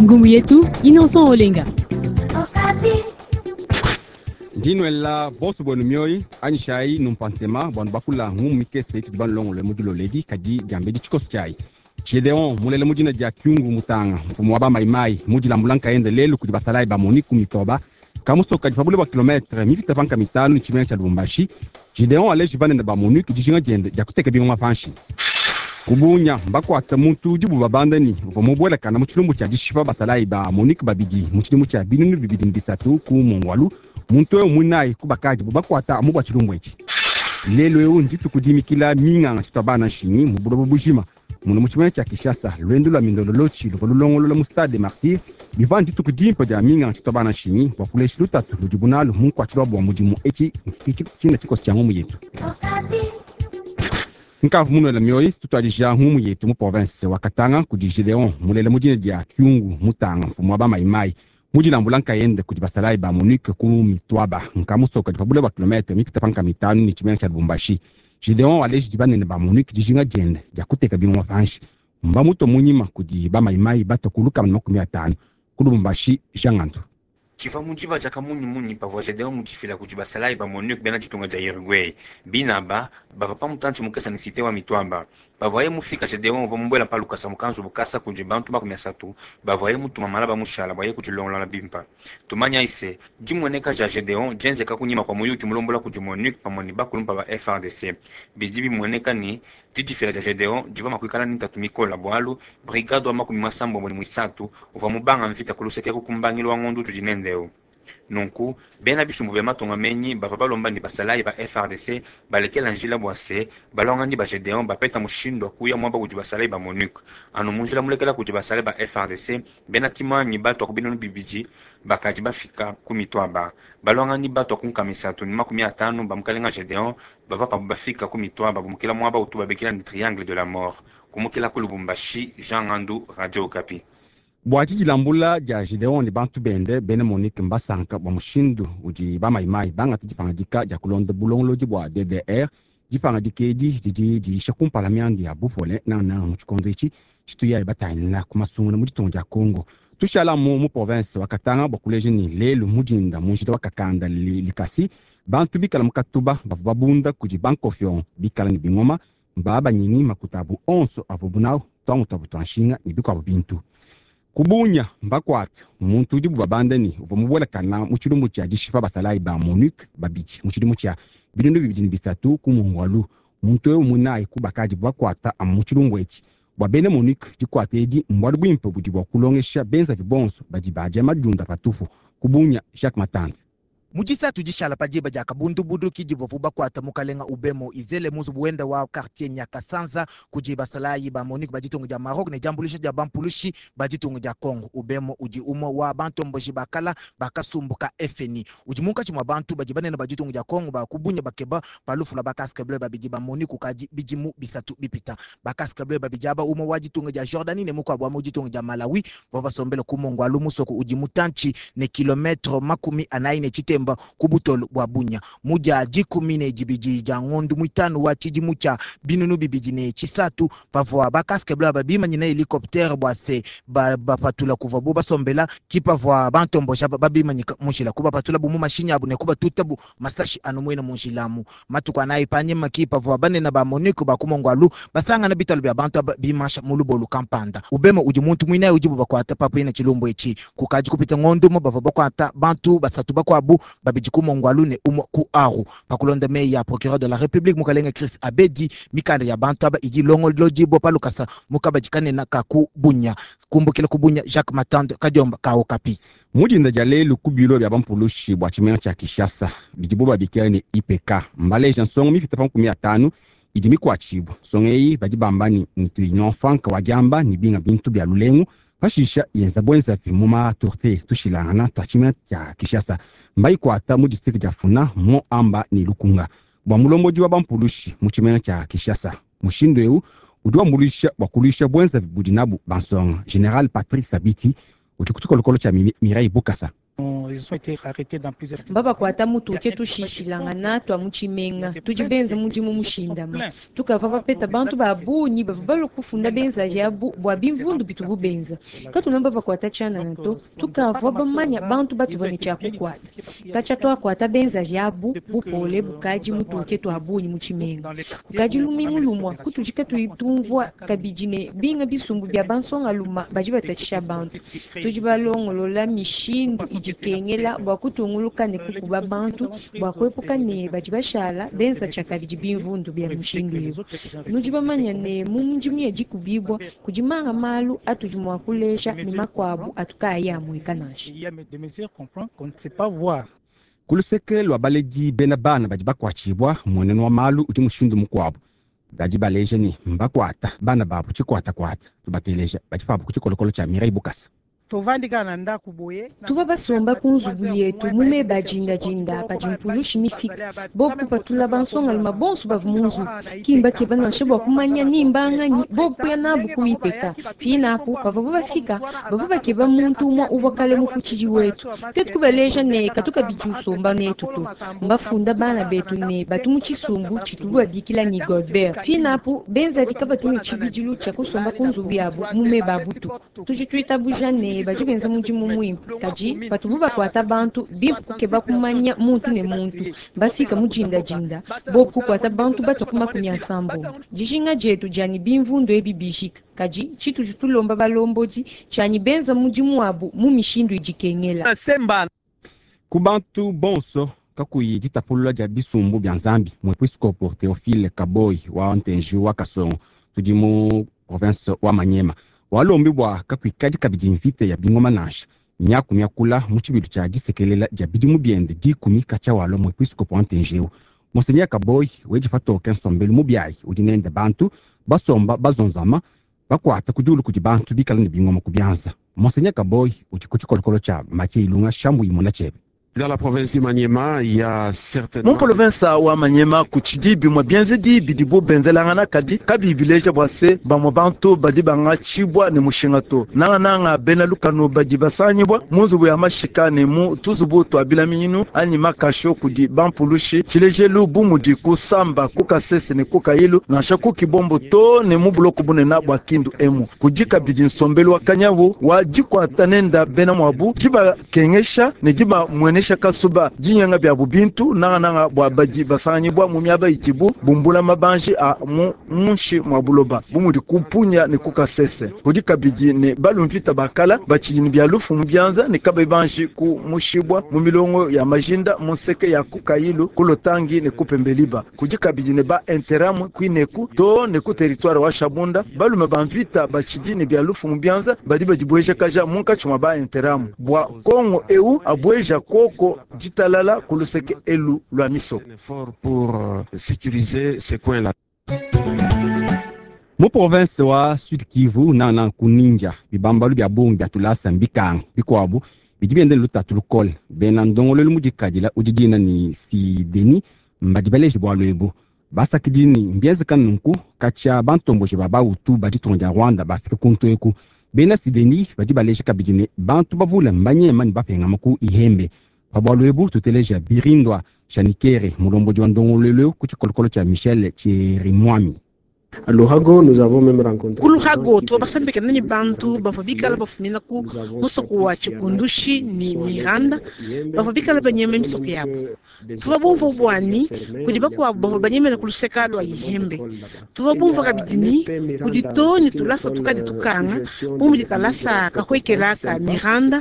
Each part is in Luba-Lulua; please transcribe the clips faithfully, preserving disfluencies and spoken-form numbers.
Ngumu yetu Innocent Olenga. Ndinuela bonso bwenu mioyi anyishayi numpantema bwanu bakula ngumu mikese tudi banulongolole mu diloledi kadi diambedi tshikoso tshiayi. Gedeon mulele mu dina dia Kyungu Mutanga, mfumu wa bamayimayi mudilambula nkayende lelu kudi basalayi ba MONUC mitoba kamusoka kadi pa bule bua kilometre mipita panka mitanu ne tshimenga tshia Lubumbashi. Gedeon aleji banene ba MONUC dijinga diende dia kuteka bingoma panshi. Kubunya mbakuata muntu udibu babanda ni uvua mubuelakana mu tshilumbu tshia dishipa basalayi ba MONUC babidi mu tshidimu tshia binunu bibidi ne bisatu ku Mongwalu. Muntu eu muinayi ku bakadi bakuata mu bua tshilumbu etshi. Lelu eu ndituku dimikila minganga tshitwa bana nshinyi mu buloba bujima. Muno mu tshimenga tshia Kinshasa, lwendo lwa mindololotshi luvua lulongolola mu stade des Martyrs bivua ndituku dimpe dia minganga tshitwa bana nshinyi bua kulesha lutatu ludibu nalu mu nkuatshilo wa mudimu etshi tshina tshikoso tshia ngumu yetu. Nkavu munuela mioyi tutuadija ngumu yetu mu province wa Katanga kudi Gedeon mulele mu dina dia Kyungu Mutanga, mfumu wa bamayimayi mudilambula nkayende kudi basalayi ba MONUC ku Mitwaba nkamusoka pa bule bua kilometre mipita panka mitanu ne tshimenga tshia Lubumbashi. Gedeon waleji banene ba MONUC dijinga diende dia kuteka bingoma panshi. Mbamuto munyima kudi bamayimayi bato ku lukama na makumi atanu ku Lubumbashi. Jean Ngandu. Tshivua mu diba dia kamunyimunyi pavua Gedeon mudifila kudi basalayi ba MONUC bena ditunga dia Uruguay. Binaba bavua pa mutantshi mukese ne cité wa Mitwaba. Pavuaye mufika Gedeon uvua mubuela pa lukasa mu kanzubu kasa kudi bantu makumi asatu bavuaye mutuma malaba mushala bua ye kudilongolola bimpe. Tumanya ise dimueneka dia Gedeon dienzeka kunyima kua muyuki mulombola kudi MONUC pamue ne bakulumpa ba F R D C. Bidi bimueneka ni didifila dia Gedeon divua mua kuikala ne ntatu mikola bualu brigade wa makumi masambombo ne muisatu uvua mubanga mvita ku luseke ku mbangilu wa ngondo tudi nende eu. Nunku bena bisumbu bya matonga menyi bavua balomba ne basalayi ba F R D C balekela njila bua se balongani ba Gedeon bapeta mushindu wa kuya muaba udi basalayi ba MONUC. Anu mu njila mulekela kudi basalayi ba F R D C bena timanyi batua ku binunu bibidi bakadi bafika ku Mitwaba. Balongani batua ku nkama isatu ne makumi atanu ba mukalenga Gedeon bavua pabu bafika ku Mitwaba bumukila muaba utu babikila ne triangle de la mort. Kumukila ku Lubumbashi, Jean Ngandu, Radio Okapi. Bua didilambula dia Gedeon ne bantu bende bena MONUC mbasanka bua mushindu udi bamayimayi bangata dipangadika dia kulonda bulongolodi bua D D R. Dipangadika edi didi diisha kumpala mianda ya bupole nangananga mu tshikondo etshi tshituyayi batangila ku masungula mu ditunga dia Congo. Tushala mu, mu province wa Katanga bua kuleja ne lelu mudinda mu njila wa Kakanda li, Likasi bantu bikala mu Katuba bavua babunda kudi bankofion bikala ne bingoma mbabanyingi makuta abu onso avuabu nawu twangu twabu twa nshinga ne bikuabu bintu. Kubunya mbakwata muntu udibu babanda ni uvua mubuelakana mu tshilumbu tshia dishipa basalayi ba MONUC babidi mu tshidimu tshia binunu bibidi ne bisatu ku Mongwalu. Muntu eu muinayi ku bakadi bakwata amu mu tshilumbu etshi. Bua bena MONUC dikwata edi mbualu buimpe budi bua kulongesha benzavi bonso badi badia madiunda patupu. Kubunya Jacques Matante. Mu disatu dishala pa diba dia kabundubudu kidi bavua bakuata mukalenga Ubemo Izele mu nzubu wenda wa quartier Nyakasanza kudi basalayi ba MONUC ba ditunga dia Maroc ne diambuluisha dia bampulushi ba ditunga dia Congo. Ubemo udi umue wa bantomboji ba kala ba kasumbu ka F N I. Udi munkatshi mua bantu badi banene ba ditunga dia Congo ba kubunya bakeba pa lufu lua ba casque bleu babidi ba MONUC kukadi bidimu bisatu bipita. Ba casque bleu babidi aba umue wa ditunga dia Jordanie ne mukuabu wa mu ditunga dia Malawi bavua basombele ku Mongwalu musoko udi mutantshi ne kilometre makumi anayi ne tshitemba ku butolo bua Bunya. Mu dia dikumi ne dibidi dia ngondo muitanu wa tshidimu tshia binunu bibidi ne tshisatu pavua ba casque bleu aba bimanyina helicoptère bua se ba-, bapatula kuvua bo basombela ki pavua bantombosha ba-, babimanyika mu njila kubapatula bu mu mashinyi abu ne kubatuta bu masashi anu muena mu njila amu. Matuku anayi panyima ki pavua banene ba MONUC ba ku Mongwalu basangana bitalu bia bantu aba bimasha mu lubolu kampanda. Ubemo udi muntu muinayi udibu bakuata papu ina tshilumbu etshi. Kukadi kupita ngondo mu bavua bakuata bantu basatu bakuabu babidi ku Mongwalu ne umue ku Aru. Pakulonda meyi ya procureur de la République mukalenga Chris Abedi, mikanda ya bantu aba idi ilongolodibua pa lukasa mu kabadi kanene ka ku Bunya. Kumbukila ku Bunya, Jacques Matande, Kadiomba, ka Okapi. Mu dinda dia lelu ku bilo bia bampulushi bua tshimenga tshia Kinshasa bidibo babikila ne I P K mbaleja nsongo mipite pa makumi atanu idi mikuatshibua. Nsongo eyi badi bamba ni ntu inonfanka wa diamba ni binga bintu bia lulengu pashisha yenza bwenzavi mu matorte tushilangana twa tshimenga tshia Kinshasa mbayikwata mu district dia Funa mo amba ni Lukunga. Bua mulombodi wa bampulushi mu tshimenga tshia Kinshasa mushindu eu udi wambuluisha bua kuluisha bwenzavi budi nabu bansonga. General Patrick Sabiti udi ku tshikolokolo tshia Mi-, Mireille Bukasa. Mbabakuata mu tutie tushishilangana tua mu tshimenga. Tudi benza mudimu mushindama. Tukavua bapeta bantu ba bungi bavua balua kufunda benzavi abu bua bimvundu bitubu benza. Katuna babakuata tshianana to, tukavua bamanya bantu batuvua ne tshia kukuata. Katshia tuakuata benzavi abu bupole bukadi mu tutie tua bungi mu tshimenga. Kukadi lumingu lumua kutudi katuyi tumvua kabidi ne binga bisumbu bia bansongaluma badi batatshisha bantu. Tudi balongolola mishindu idi ikengela bua kutunguluka ne kukuba bantu bua kuepuka ne badi bashala benza tshiakabidi bimvundu bia mushindu eu. Nudi bamanya ne mu midimu ya dikubibua kudi manga malu atudi mua kuleja ne makuabu atu kaayi amueka nansha. Ku luseke lua baledi bena bana badi bakuatshibua mmuenenu wa malu udi mushindu mukuabu. Badi baleja ne mbakuata bana babu tshikuatakuata. Tubateleja badi pabu ku tshikolokolo tshia Mireille Bukasa. Tuvua basomba ku nzubu yetu mu meba a dindadinda padi mpulushi mifika. Bobu kupatula bansongaluma bonso bavua mu nzubu. Kimba keba nansha bua kumanya ni mbanganyi bobu kuya nabu kuipeta. Pinapu pavuabu bafika bavua bakeba muntu umue uvua kale mufutshidi wetu. Tuetu kubaleja ne katu kabidi usomba netu to. Mbafunda bana betu ne batu mu tshisumbu tshitubu babikila ni Goldberg. Pinapu benzavi kabatu ne tshibidilu tshia kusomba ku nzubu yabu mu meba a butuku. Tudi tuitabuja ne badi benza mudimu muimpe. Kadi patubu bakuata bantu bimpe kukeba kumanya muntu ne muntu. Bafika mu dindadinda bobu kukuata bantu batua ku makumi asambombo. Dijinga dietu dia ne bimvundu ebi bijika. Kadi tshitudi tulomba balombodi tshianyi benza mudimu wabu mu mishindu idi ikengela. Ku bantu bonso kakuyi ditapulula dia bisumbu bia Nzambi, muepiskopo Théophile Kaboy wa Ntenji wa Kasongo tudi mu province wa Manyema walombi bua kakuikadi kabidi mvita ya bingoma nansha. Miaku miakula mu tshibilu tshia disekelela dia bidimu biende dikumi katshia walua muepiskopo wa Ntenji eu. Monseigneur Kaboy wedi patoke nsombelu mubiayi udi nende bantu basomba bazonzama bakuata ku diulu kudi bantu bikala ne bingoma ku bianza. Monseigneur Kaboy udi ku tshikolokolo tshia Mathieu Ilunga Shambu imona tshiebe. Dans la province du Maniema, il y a certainement Mu province wa Manyema kutshidi bimue bienzedi bidibo benzelangana kadi kabiyi bileja bua se bamue bantu badi bangatshibua ne mushinga to. Nangananga bena lukanu badi basangibua mu nzubu ya mashika ne mu tuzubu tua bilaminyinu anyi makasho kudi bampulushi. Tshilejelu bu mudi kusamba ku Kasese ne ku Kayilu nansha ku Kibombo to ne mu buloko bunene bua Kindu emu. Kudi kabidi nsombelu wa kanyawu wa dikuata nenda bena muabu dibakengesha ne dibamuenesha kasuba dinyenga byabu bintu nangananga bua badi basanganyibua mu miaba idibu bumbula mabanji a mu munshi mua buloba bu mudi kupunya ne kukasese. Kudi kabidi ne balumvita bakala batshidi ne bia lufu mu bianza ne kabayi banji ku mushibua mu milongo ya majinda mu nseke ya kukayilu kulotangi ne kupembeliba. Kudi kabidi ne ba interamu kuineku to ne ku territoire wa Shabunda balume ba mvita batshidi ne bia lufu mu bianza badi badibuejakaja munkatshi mua ba interamu bua Kongo eu abueja koko ditalala ku luseke elu lua misoko. Un effort pour euh, sécuriser ces coins-là. Mu province wa Sud Kivu nana ku Ninja bibambalu bia bungi bia tulasa mbikanga bikuabu bidi bienda ne lutatu lukole. Bena ndongoluelu mudikadila udi dina ni Sideni mbadi baleje bualu ebu. Basakidi ni mbienzeka nunku katshia bantomboji ba Bahutu ba ditunga dia Rwanda bafika kuntu eku. Bena Sideni badi baleje kabidi ne bantu bavule mbanyema ne bapengama ku Ihembe. Pa bualu ebu tuteleja Birindwa Shanikere mulombodi wa ndongoluelu ku tshikolokolo tshia Michel Chirimwami. Luhago, nous avons même rencontré Ku Luhago tuvua basambikana ne bantu bavua bikala bafumina ku musoko wa Tshikundushi ne Miranda bavua bikala banyema misoko yabo. Tuvua bumvua buani kudi bakuabu bavua banyemena ku luseka lua Ihembe. Tuvua bumvua kabidi ni kudi to ne tulasa tukadi tukanga bu mudi kalasa kahuekela ka Miranda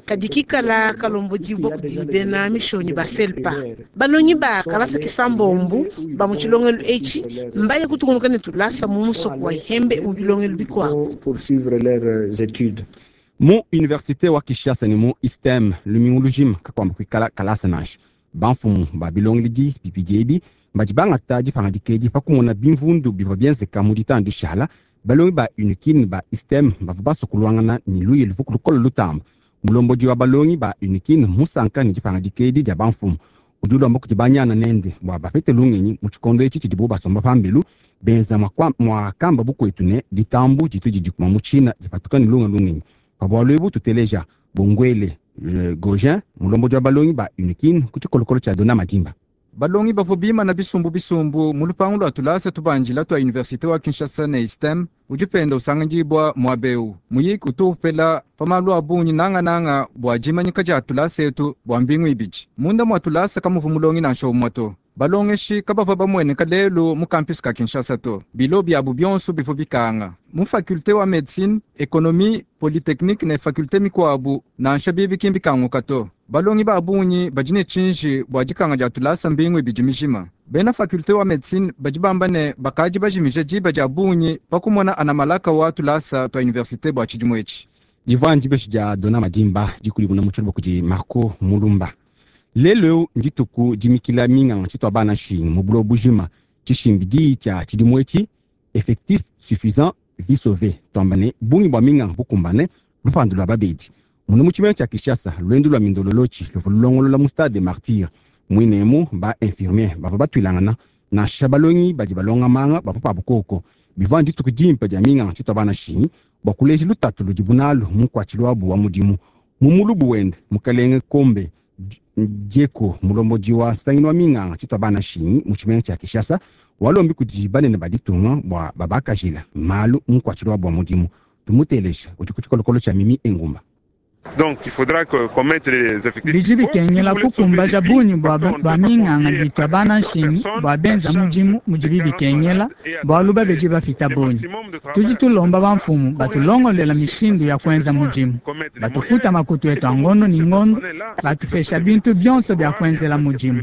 kadi kikala kalombodibua kudi bena mishonyi ba Selpa. Balongi ba kalasa kisambombu ba mu tshilongelu etshi mbaye kutungunuka ne tulasa mu musoko wa Ihembe mu bilongelu bikuabu. Poursuivre leurs études. Mu université wa Kinshasa ne mu ISTEM lumingu lujima kakuamba kuikala kalasa nansha. Bamfumu ba bilongedi bibidi ebi badi bangata dipangadika edi pa kumona bimvundu bivua bienzeka mu ditanu dishala. Balongi ba UNIKIN ba ISTEM bavua basua kuluangana ne luyi luvu lukole lutamba. Mulombodi wa balongi ba UNIKIN musanka ne dipangadika edi dia bamfumu udi ulomba kudi banyana nende bua bapete lungenyi mu tshikondo etshi tshidibu basomba pambelu benza mwakamba bukwetu ne ditambu ditu didi kuma mu tshina dipatuka ne lunga lungenyi. Pa bualu ebu tuteleja Bongwele Gogin mulombodi wa balongi ba Unikin ku tshikolokolo tshia Dona Madimba. Balongi bavua bimana bisumbu bisumbu mu lupangu lua tulasa tubandila tua universite wa Kinshasa ne ISTEM udi penda usanganyibua muaba eu. Muyiki utu upela pa malu a bungi nangananga bua dimanyika dia tulasa etu bua mbingu ibidi. Munda mua tulasa kamuvu mulongi nansha umue to. Balongeshi kabavua bamueneka lelu mu campus ka Kinshasa to. Bilo biabu bionso bivua bikanga. Mu faculté wa médecine, économie, polytechnique ne faculté mikuabu nansha bibi ki mbikanguka to. Balongi ba bungi badi ne tshinji bua dikanga dia tulasa mbingu ibidi mijima. Bena faculté wa médecine badi bamba ne bakadi bajimija diba dia bungi pa kumona anamalaka wa tulasa tua université bua tshidimu etshi. Divua ndibeshi dia Dona Madimba dikulimuna mu tshilobo kudi Marco Mulumba. Lelo eu ndituku dimikila minganga tshitwa bana nshingi mu buloba bujima tshishimbidi tshia tshidimu etshi effectif suffisant vie sauvée twamba ne bungi bua minganga bukumbane lupandu lua babedi muno mu tshimenga tshia Kinshasa lwendu lua mindololotshi luvua lulongolola mu stade des Martyrs mwinemu ba infirmier bavua batuilangana nansha balongi badi balonga manga bavua pabu koko bivua ndituku dimpe dia minganga tshitwa bana nshingi bua kuleja lutatu ludibu nalu mu nkuatshilu wabu wa mudimu mu mulubu wende mukalenge Kombe Dieko mulombodi wa nsangilu wa minganga tshitwa bana nshingi mu tshimenga tshia Kinshasa walombi kudi banene ba ditunga bua babakajila malu mu nkuatshilu wabu wa mudimu tumuteleja udi ku tshikolokolo tshia Mimi Engumba. Donc il faudra que qu'on mette les effectifs. Bidi bikengela kukumbaja bungi bua bua minganga bitwa bana nshingi bua benza mudimu mudibi bikengela bualu babedi bafita bungi. Tudi tulomba bamfumu batulongolela mishindu ya kuenza mudimu, batufuta makutu etu a ngondo ni ngondo, batupesha bintu bionso bia kuenzela mudimu.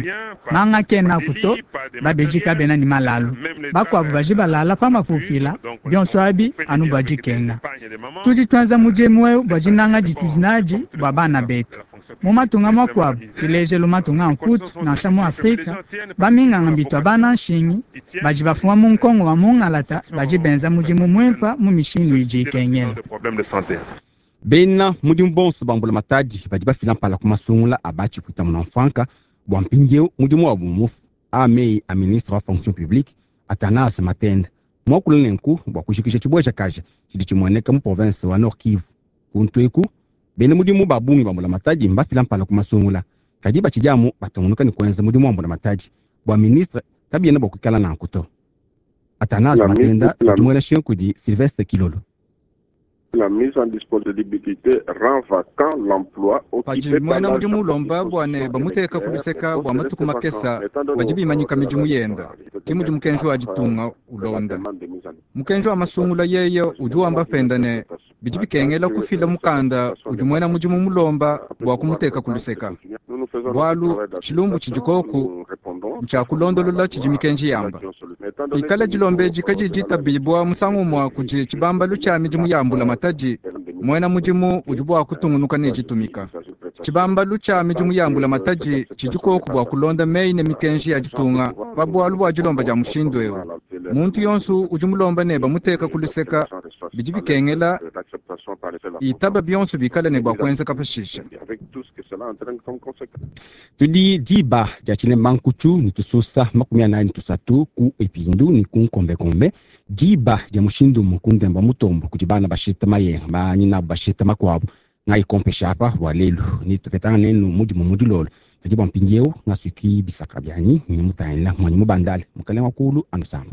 Manga kena kuto babedi kabena ni malalu, bakuabu baji balala pa mapupila bionso abi anu bua dikenga. Tudi tuenza mudimu eu bua dinanga ditudi nadi bua bana betu. Mu matunga makuabu tshilejelu matunga a Mputu nansha mu Afrika baminganga bitwa bana nshingi badi bafuma mu nkongo wa mungalata badi benza mudimu muimpe mu mishindu idi ikengela. Bena mudimu bonso ba mbula matadi badi bafila mpala ku masungula a batshipwita muna mfanka bua mpindieu mudimu wabu mufu a meyi a ministre wa fonction publique Athanase Matenda muakula nenku bua kujikija tshibueja kaja tshidi tshimueneka mu province wa Nord Kivu kuntu eku bena mudimu ba bungi ba mbula matadi mbafila mpala ku masungula kadi batshidiamu batungunuka ne kuenza mudimu wa mbula matadi bua ministre kabiena bua kuikala nanku to. Athanase Matenda udi muela nshinga kudi Sylvestre Kilolo. La mise en disponibilité rend vacant l'emploi Padi occupé par muena l'agent mudimu ulomba bua ne bamuteka ku luseka bua matuku makesa badi bimanyika midimu yenda ke mudi mukenji wa ditunga ulonda. Mukenji wa masungula yeye udi wamba penda ne bidi bikengela kufila mukanda udi muena mudimu mulomba bua kumuteka ku luseka bualu tshilumbu tshidi koku ntshia kulondolola tshidi mikenji yamba. Ikala dilombeji kadidi ditabibua musangu umue kudi tshibambalu tshia midimu ya mbula matadi muena mudimu udi bua kutungunuka ne ditumika. Tshibambalu tshia midimu ya mbula matadi tshidi koku bua kulonda meyi ne mikenji ya ditunga pa bualu bua dilomba dia mushindu eu. Muntu yonso udi mulomba ne bamuteka ku luseka bidi bikengela itaba bionso bikale ne bua kuenzeka pashishe. Tudi diba dia tshilemba nkutshu ne tususa makumi anayi ne tusatu ku epindu ne ku nkombekombe diba dia mushindu umue ku ndemba mutombo kudi bana bashita mayenga banyina bashita makuabu ngayikompesha apa bua lelu ne tupetanga nenu mudimu mu dilolo kadi bua mpindieu ngasuiki bisaka bianyi ne mutangila muanyi mubandale mukalenge wa kulu anusamba.